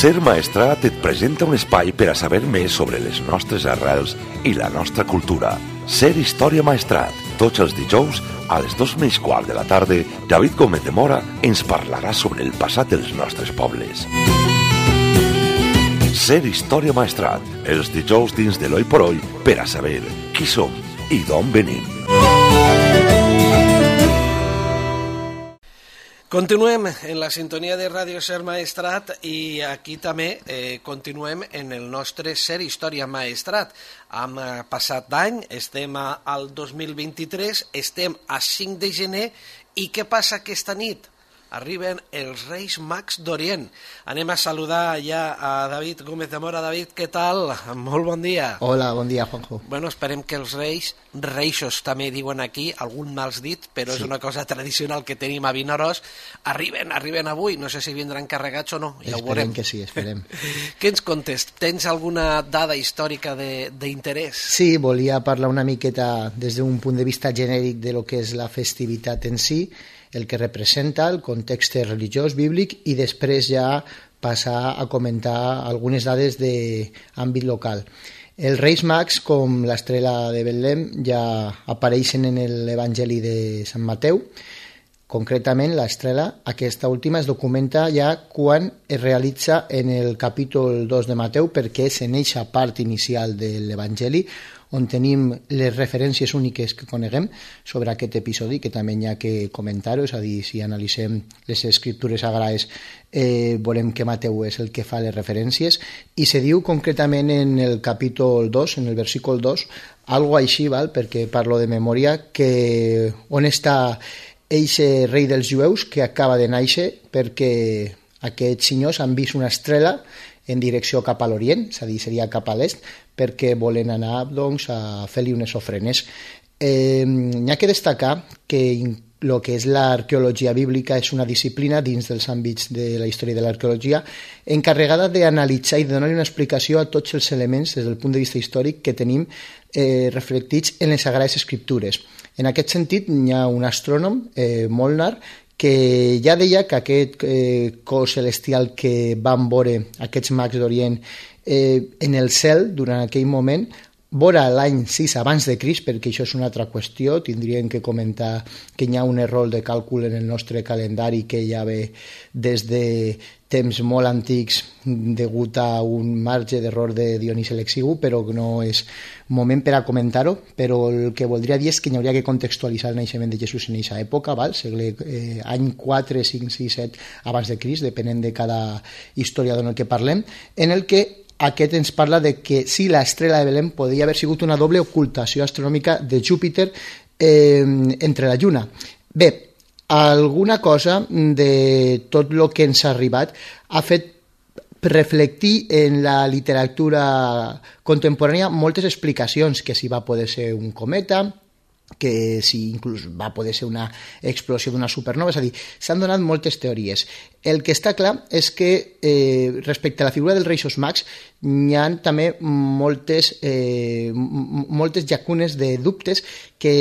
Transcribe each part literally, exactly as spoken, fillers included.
Ser Maestrat et presenta un espai per a saber més sobre les nostres arrels i la nostra cultura. Ser Història Maestrat. Tots els dijous, a les dos menys quart de la tarda, David Gómez de Mora ens parlarà sobre el passat dels nostres pobles. Ser Història Maestrat. Els dijous dins de l'Oi por Oi per a saber qui som i d'on venim. Continuem en la sintonia de Ràdio Ser Maestrat i aquí també eh, continuem en el nostre Ser Història Maestrat. Hem passat d'any, estem al dos mil vint-i-tres, estem a cinc de gener i què passa aquesta nit? Arriben els Reis Mags d'Orient. Anem a saludar ja a David Gómez de Mora. David, què tal? Molt bon dia. Hola, bon dia, Juanjo. Bueno, esperem que els Reis, Reixos també diuen aquí, algun mals dit, però sí. És una cosa tradicional que tenim a Vinaròs. Arriben, arriben avui. No sé si vindran carregats o no, ja esperem ho veurem. Que sí, esperem. Què ens contes? Tens alguna dada històrica d'interès? Sí, volia parlar una miqueta des d'un punt de vista genèric de lo que és la festivitat en si, el que representa, el context religiós, bíblic, i després ja passar a comentar algunes dades d'àmbit local. Els Reis Mags, com l'estrela de Betlem, ja apareixen en l'Evangeli de Sant Mateu. Concretament, l'estrela, aquesta última, es documenta ja quan es realitza en el capítol dos de Mateu, perquè és en eixa part inicial de l'Evangeli on tenim les referències úniques que coneguem sobre aquest episodi, que també hi ha que comentar-ho, és a dir, si analitzem les escriptures sagrades eh, veurem que Mateu és el que fa les referències, i se diu concretament en el capítol dos, en el versícul dos, algo així, val? Perquè parlo de memòria, que on està eixe rei dels jueus que acaba de néixer, perquè aquests senyors han vist una estrela en direcció cap a l'Orient, és a dir, seria cap a l'est, perquè volen anar doncs, a fer-li unes ofrenes. Eh, n'hi ha que destacar que el que és l'arqueologia bíblica és una disciplina dins dels àmbits de la història de l'arqueologia encarregada d'analitzar i de donar una explicació a tots els elements des del punt de vista històric que tenim eh, reflectits en les Sagrades Escriptures. En aquest sentit, hi ha un astrònom, eh, Molnar, que ja deia que aquest eh, cos celestial que van veure aquests mags d'Orient eh, en el cel durant aquell moment, vora l'any sis abans de Crist, perquè això és una altra qüestió, tindríem que comentar que hi ha un error de càlcul en el nostre calendari que ja ve des de temps molt antics degut a un marge d'error de Dionís l'Exigu, però no és moment per a comentar-ho, però el que voldria dir és que hi hauria que contextualitzar el naixement de Jesús en aquesta època, val? Segle, eh, any quatre, cinc, sis, set abans de Crist, depenent de cada historiador en el que parlem, en el que aquest ens parla de que sí, l'estrela de Belém podria haver sigut una doble ocultació astronòmica de Júpiter eh, entre la Lluna. Bé, alguna cosa de tot el que ens ha arribat ha fet reflectir en la literatura contemporània moltes explicacions, que si va poder ser un cometa, que si inclús va poder ser una explosió d'una supernova, és a dir, s'han donat moltes teories. El que està clar és que eh, respecte a la figura dels Reis Mags hi ha també moltes, eh, moltes llacunes de dubtes que,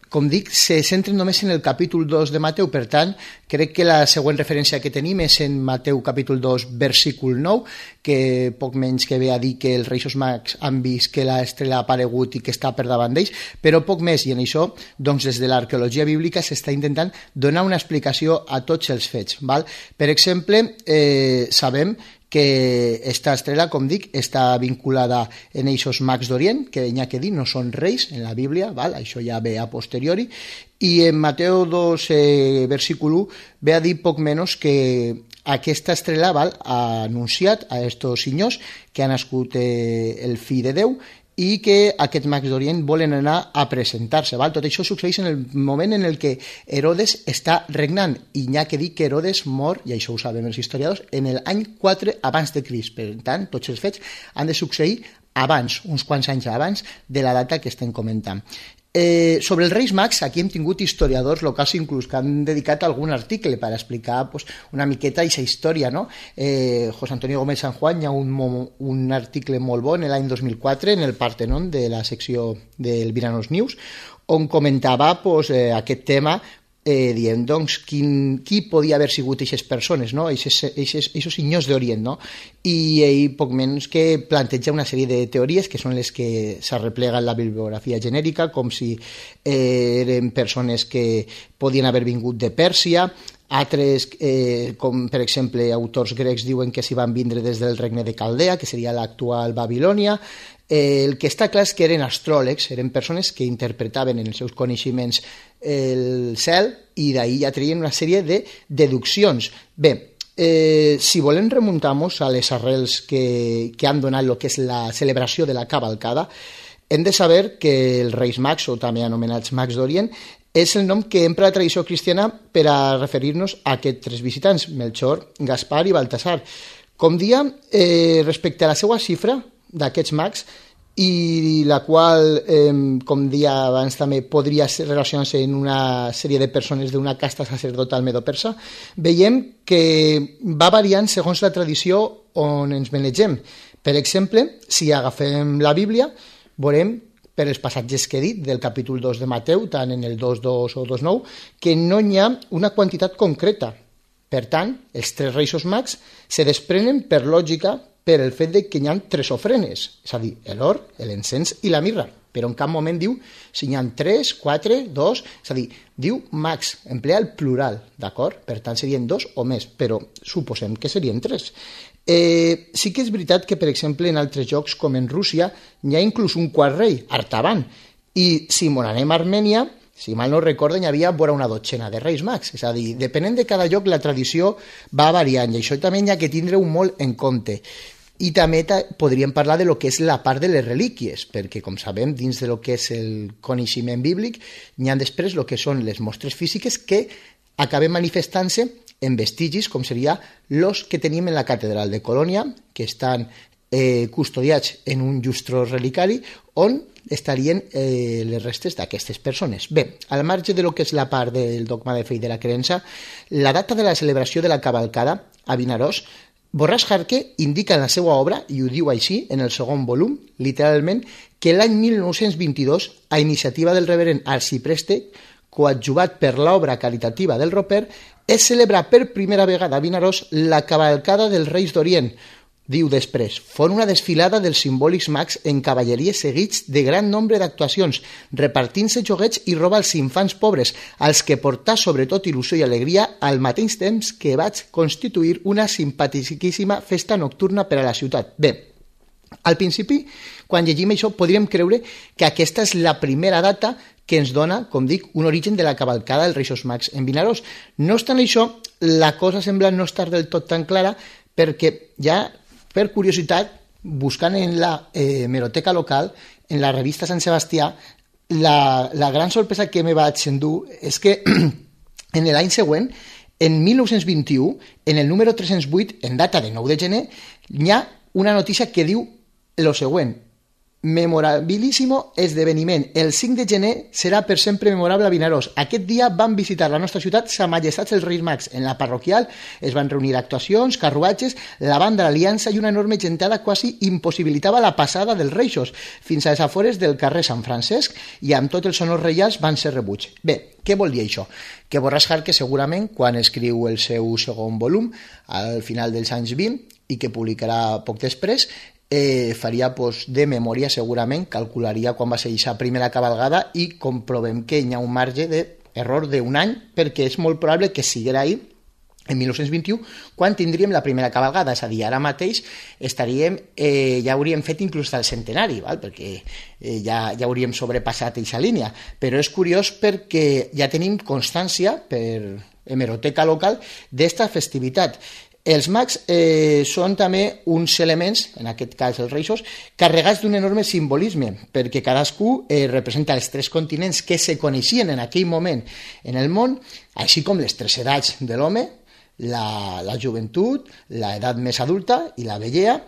com dic, se centren només en el capítol dos de Mateu. Per tant, crec que la següent referència que tenim és en Mateu capítol dos, versícul nou, que poc menys que ve a dir que els Reis Mags han vist que l'estrela ha aparegut i que està per davant d'ells, però poc més, i en això, doncs, des de l'arqueologia bíblica s'està intentant donar una explicació a tots els fets. Val? Per exemple, eh, sabem que esta estrela, com dic, està vinculada en eixos mags d'Orient, que n'hi ha que dir, no són reis en la Bíblia, val? Això ja ve a posteriori, i en Mateu dos, eh, versícul u, ve a dir poc menys que aquesta estrela, val, ha anunciat a estos senyors que ha nascut eh, el fill de Déu, i que aquests mags d'Orient volen anar a presentar-se. Val? Tot això succeeix en el moment en el que Herodes està regnant, i n'hi ha que dir que Herodes mor, i això ho sabem els historiadors, en l'any quatre abans de Crist. Per tant, tots els fets han de succeir abans, uns quants anys abans de la data que estem comentant. Eh, sobre els Reis Mags, aquí hem tingut historiadors locals inclús que han dedicat algun article per explicar pues, una miqueta aquesta història, no? Eh, José Antonio Gómez San Juan, hi ha un, un article molt bo en l'any dos mil quatre en el Partenon de la secció del Viranos News, on comentava pues, eh, aquest tema eh, dient, doncs, quin, qui podia haver sigut aquestes persones, no? Aquests senyors d'Orient, no? I ell, poc menys que planteja una sèrie de teories que són les que s'arreplega en la bibliografia genèrica, com si eh, eren persones que podien haver vingut de Pèrsia, altres, eh, com per exemple autors grecs diuen que s'hi van vindre des del regne de Caldea, que seria l'actual Babilònia. Eh, el que està clar és que eren astròlegs, eren persones que interpretaven en els seus coneixements el cel i d'ahir ja treien una sèrie de deduccions. Bé, eh, si volem remuntar-nos a les arrels que, que han donat el que és la celebració de la cavalcada, hem de saber que els Reis Mags, o també anomenats Mags d'Orient, és el nom que empra la tradició cristiana per a referir-nos a aquests tres visitants, Melchor, Gaspar i Baltasar. Com dia, eh, respecte a la seva xifra d'aquests mags, i la qual, eh, com dia abans també, podria relacionar-se en una sèrie de persones d'una casta sacerdotal medo-persa, veiem que va variant segons la tradició on ens manegem. Per exemple, si agafem la Bíblia, veurem per els passatges que he dit del capítol dos de Mateu, tant en el dos dos o dos nou, que no hi ha una quantitat concreta. Per tant, els tres reis mags se desprenen per lògica per el fet de que hi ha tres ofrenes, és a dir, l'or, l'encens i la mirra, però en cap moment diu si hi ha tres, quatre, dos, és a dir, diu mags, emplea el plural, d'acord? Per tant, serien dos o més, però suposem que serien tres. Eh, sí que és veritat que, per exemple, en altres jocs, com en Rússia, hi ha inclús un quart rei, Artaban, i si m'on anem a Armènia, si mal no recorden, hi havia vora una dotzena de reis mags, és a dir, depenent de cada lloc, la tradició va variant, i això també hi ha que tindre-ho molt en compte. I també podríem parlar de lo que és la part de les relíquies, perquè, com sabem, dins de lo que és el coneixement bíblic, hi ha després el que són les mostres físiques que acaben manifestant-se en vestigis, com seria los que tenim en la catedral de Colònia, que estan eh, custodiats en un llustró relicari, on estarien eh, les restes d'aquestes persones. Bé, al marge de lo que és la part del dogma de fe i de la creença, la data de la celebració de la cavalcada a Vinaròs, Borràs Jarque indica en la seva obra, i ho diu així, en el segon volum, literalment, que l'any mil nou-cents vint-i-dos, a iniciativa del reverend Arcipreste, coadjuvat per l'obra caritativa del Roper, es celebra per primera vegada a Vinaròs la cavalcada dels Reis d'Orient. Diu després, fon una desfilada dels simbòlics mags en cavalleries seguits de gran nombre d'actuacions, repartint-se joguets i roba als infants pobres, als que portà sobretot il·lusió i alegria al mateix temps que vaig constituir una simpaticíssima festa nocturna per a la ciutat. Bé, al principi, quan llegim això, podríem creure que aquesta és la primera data que ens dona, com dic, un origen de la cavalcada dels Reis Mags en Vinaròs. No obstant això, la cosa sembla no estar del tot tan clara, perquè ja per curiositat, buscant en la eh, hemeroteca local, en la revista Sant Sebastià, la, la gran sorpresa que me vaig endur és que en l'any següent, en mil nou-cents vint-i-u, en el número tres-cents vuit, en data de nou de gener, hi ha una notícia que diu el següent: memorabilíssimo esdeveniment. El cinc de gener serà per sempre memorable a Vinaròs. Aquest dia van visitar la nostra ciutat Sa Majestat els Reis Mags. En la parroquial es van reunir actuacions, carruatges, la banda de l'Aliança i una enorme gentada quasi impossibilitava la passada dels reixos fins a les afores del carrer Sant Francesc, i amb tots els honors reials van ser rebuts. Bé, què vol dir això? Que Borràs Jarque segurament, quan escriu el seu segon volum, al final dels anys vint, i que publicarà poc després, Eh, faria pues, de memòria segurament, calcularia quan va ser aquesta primera cavalgada i comprovem que hi ha un marge d'error d'un any, perquè és molt probable que siguera ahir en mil nou-cents vint-i-u, quan tindríem la primera cavalgada, és a dir, ara mateix estaríem, eh, ja hauríem fet inclús el centenari, val? Perquè eh, ja, ja hauríem sobrepassat aquesta línia, però és curiós perquè ja tenim constància per hemeroteca local d'esta festivitat. Els mags eh, són també uns elements, en aquest cas els reixos, carregats d'un enorme simbolisme, perquè cadascú eh, representa els tres continents que se coneixien en aquell moment en el món, així com les tres edats de l'home, la, la joventut, l'edat més adulta i la vellea,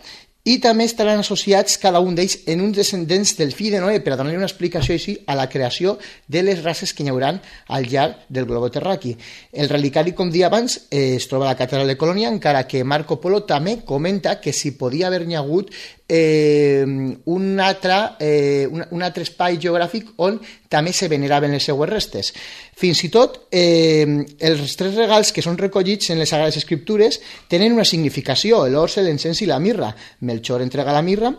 i també estaran associats cada un d'ells en uns descendents del fill de Noé, per a donar una explicació així a la creació de les races que hi haurà al llarg del globo terraqui. El relicari, com dia abans, eh, es troba a la catedral de Colònia, encara que Marco Polo també comenta que si podia haver-hi hagut eh, un, altre, eh, un, un altre espai geogràfic on també se veneraven les seues restes. Fins i tot, eh, els tres regals que són recollits en les Sagrades Escriptures tenen una significació, l'orse, l'encens i la mirra. Melchor entrega la mirra,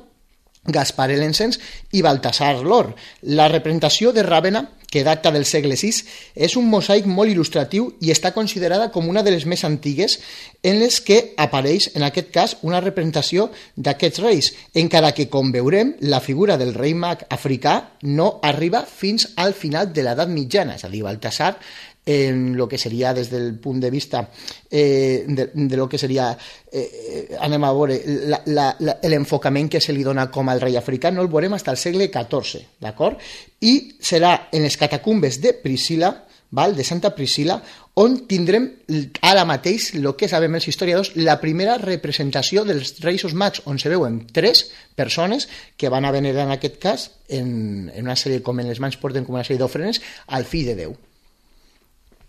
Gaspar l'encens i Baltasar l'or. La representació de Ràbena, que data del segle sis, és un mosaic molt il·lustratiu i està considerada com una de les més antigues en les que apareix, en aquest cas, una representació d'aquests reis, encara que, com veurem, la figura del rei mag africà no arriba fins al final de l'edat mitjana, és a dir, Baltasar, en lo que seria des del punt de vista eh, de, de lo que seria eh, anem a veure l'enfocament que se li dona com al rei africà no el veurem fins al segle catorze, d'acord? I serà en les catacumbes de Priscila, val? De Santa Priscila, on tindrem ara mateix el que sabem els historiadors, la primera representació dels Reis Mags, on se veuen tres persones que van a venerar en aquest cas en, en una sèrie, com en les mans porten com una sèrie d'ofrenes al fill de Déu.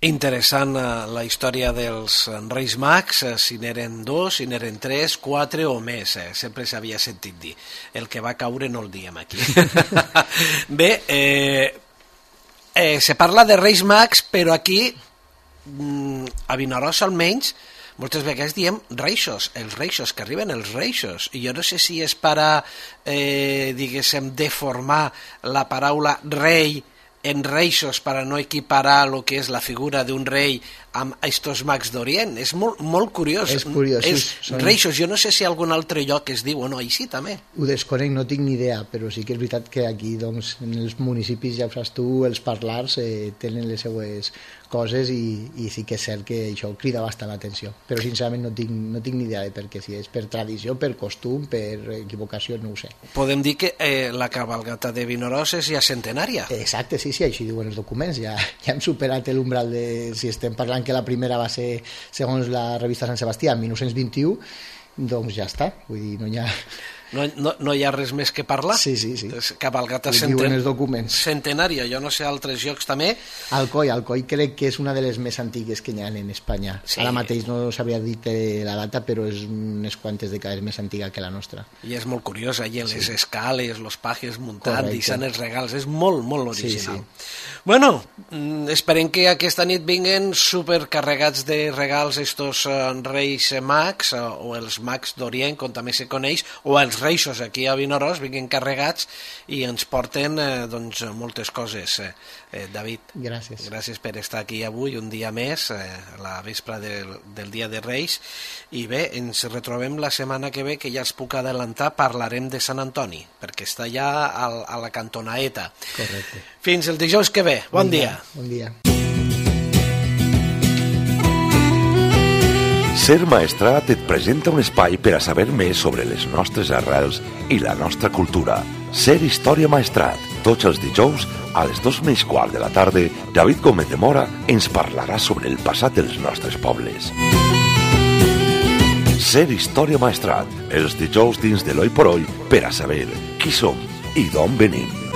Interessant la història dels Reis Mags, si n'eren dos, si n'eren tres, quatre o més, eh? Sempre s'havia sentit dir. El que va caure no el diem aquí. Bé, eh, eh, se parla de Reis Mags, però aquí, a Vinaròs almenys, moltes vegades diem reixos, els reixos, que arriben els reixos. I jo no sé si és per a, eh, diguéssim, deformar la paraula rei en reixos per a no equiparar el que és la figura d'un rei amb estos mags d'Orient. És molt, molt curiós. És curiós. És sí, són... Reixos, jo no sé si algun altre lloc es diu o no, així també. Ho desconec, no tinc ni idea, però sí que és veritat que aquí, doncs, en els municipis, ja ho saps tu, els parlars eh, tenen les seues coses i, i sí que és cert que això crida bastant l'atenció. Però sincerament no tinc, no tinc ni idea de per què, si és per tradició, per costum, per equivocació, no ho sé. Podem dir que eh, la cabalgata de Vinaròs és ja centenària. Exacte, sí, sí, així diuen els documents. Ja, ja hem superat l'umbral de... Si estem parlant que la primera va ser, segons la revista Sant Sebastià, en mil nou-cents vint-i-u, doncs ja està. Vull dir, no hi ha... No, no, no hi ha res més que parlar? Sí, sí, sí. Cabalgata centen... els documents. centenària, jo no sé altres llocs també. Alcoi, Alcoi crec que és una de les més antigues que hi ha en Espanya. Sí. Ara mateix no s'havia dit la data, però és unes quantes dècades més antiga que la nostra. I és molt curiosa, i les sí. escales, els pajes muntant, deixant els regals, és molt, molt original. Sí, sí. Bueno, esperem que aquesta nit vinguen supercarregats de regals estos uh, Reis Mags, uh, o els Mags d'Orient, com també se coneix, o els reixos aquí a Vinaròs vinguin carregats i ens porten eh, doncs, moltes coses. Eh, eh, David, gràcies. gràcies per estar aquí avui, un dia més, eh, a la vespre del, del Dia de Reis. I bé, ens retrobem la setmana que ve, que ja els puc adelantar, parlarem de Sant Antoni, perquè està ja a, a la cantonaeta. Correcte. Fins el dijous que ve. Bon, bon dia. dia. Bon dia. Ser Maestrat et presenta un espai per a saber més sobre les nostres arrels i la nostra cultura. Ser Història Maestrat. Tots els dijous, a les dos menys quart de la tarda, David Gómez de Mora ens parlarà sobre el passat dels nostres pobles. Ser Història Maestrat. Els dijous dins de l'Oi por Oi per a saber qui som i d'on venim.